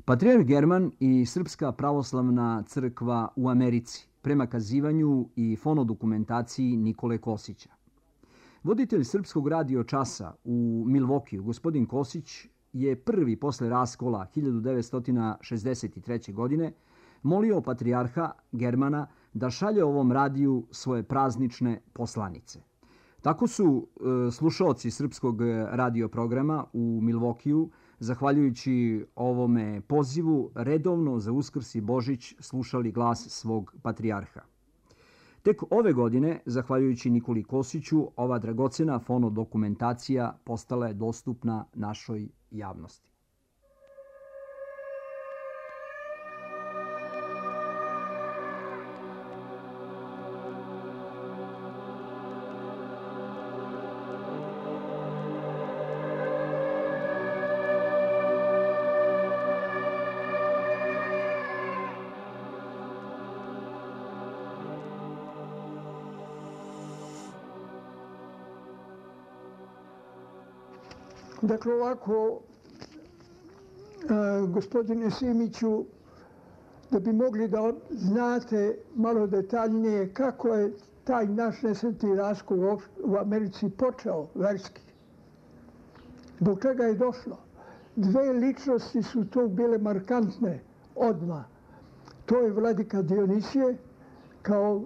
Patrijarh German i Srpska pravoslavna crkva u Americi, prema kazivanju i fonodokumentaciji Nikole Kosića. Voditelj Srpskog radio časa u Milvokiju, gospodin Kosić, je prvi posle raskola 1963. godine molio patrijarha Germana da šalje ovom radiju svoje praznične poslanice. Tako su slušaoci Srpskog radioprograma u Milvokiju, zahvaljujući ovome pozivu, redovno za Uskrs i Božić slušali glas svog patrijarha. Tek ove godine, zahvaljujući Nikoli Kosiću, ova dragocena fonodokumentacija postala je dostupna našoj javnosti. Dakle, ovako, gospodine Simiću, da bi mogli da znate malo detaljnije kako je taj naš nesretni raskol u Americi počeo verski. Zbog čega je došlo? Dve ličnosti su tu bile markantne odmah. To je vladika Dionisije, kao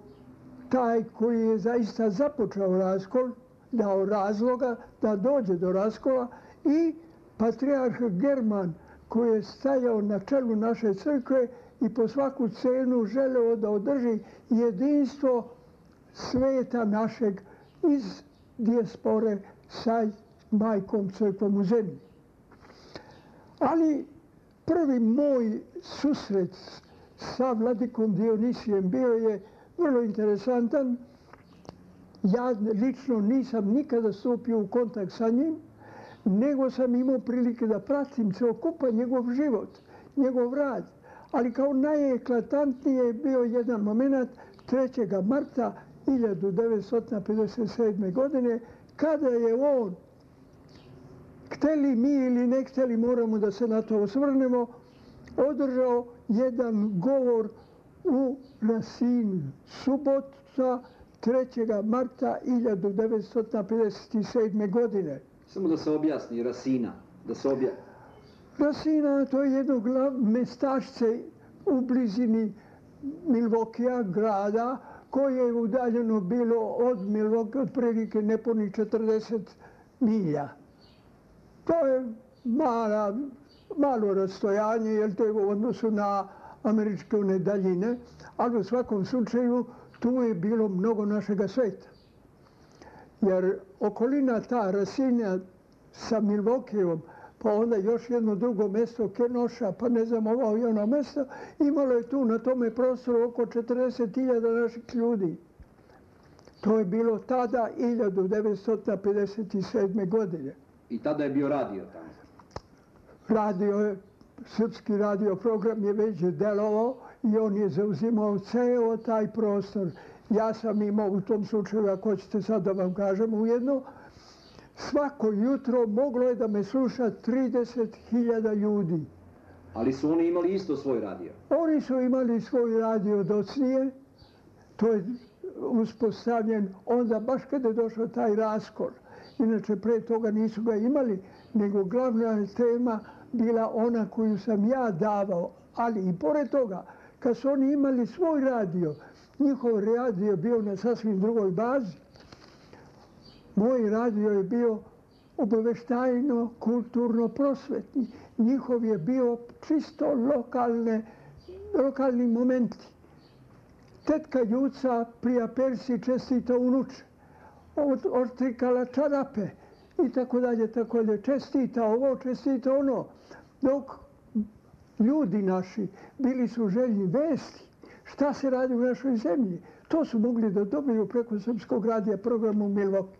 taj koji je zaista započeo raskol, dao razloga da dođe do raskola, i patrijarh German koji je stajao na čelu naše crkve i po svaku cenu želeo da održi jedinstvo sveta našeg iz dijaspore sa majkom crkvom u zemlji. Ali prvi moj susret sa vladikom Dionisijem bio je vrlo interesantan. Ja lično nisam nikada stupio u kontakt sa njim, nego sam imao prilike da pratim celokupan njegov život, njegov rad. Ali kao najeklatantnije je bio jedan moment 3. marta 1957. godine, kada je on, hteli mi ili ne hteli, moramo da se na to osvrnemo, održao jedan govor u Rasinu, subota 3. marta 1957. godine. Samo da se objasni, Rasina, da se objasni. Rasina, to je jedno mestašce u blizini Milvokija, grada, koje je udaljeno bilo od Milvokija otprilike nepunih 40 milja. To je malo rastojanje, jer to je u odnosu na američke daljine, ali u svakom slučaju tu je bilo mnogo našega sveta. Jer okolina ta Rasina sa Milvokijom, pa onda još jedno drugo mesto, Kenoša, pa ne znam ovo i ono mesto, imalo je tu na tome prostoru oko 40.000 naših ljudi. To je bilo tada 1957. godine. I tada je bio radio tamo? Srpski radio program je već delovao i on je zauzimao ceo taj prostor. Ja sam imao u tom slučaju, ako ćete sad da vam kažem ujedno, svako jutro moglo je da me sluša 30.000 ljudi. Ali su oni imali isto svoj radio? Oni su imali svoj radio docnije. To je uspostavljen onda baš kada je došao taj raskol. Inače, pre toga nisu ga imali, nego glavna tema bila ona koju sam ja davao. Ali i pored toga, kad su oni imali svoj radio, njihov radio je bio na sasvim drugoj bazi. Moj radio je bio obaveštajno, kulturno prosvetni. Njihov je bio čisto lokalni momenti. Tetka Juca prija Persi čestita unuče, odtrikala čarape i tako dalje, čestita ovo, čestita ono. Dok ljudi naši bili su željni vesti, šta se radi u našoj zemlji. To su mogli da dobiju preko Srpskog radija programu Milvokija.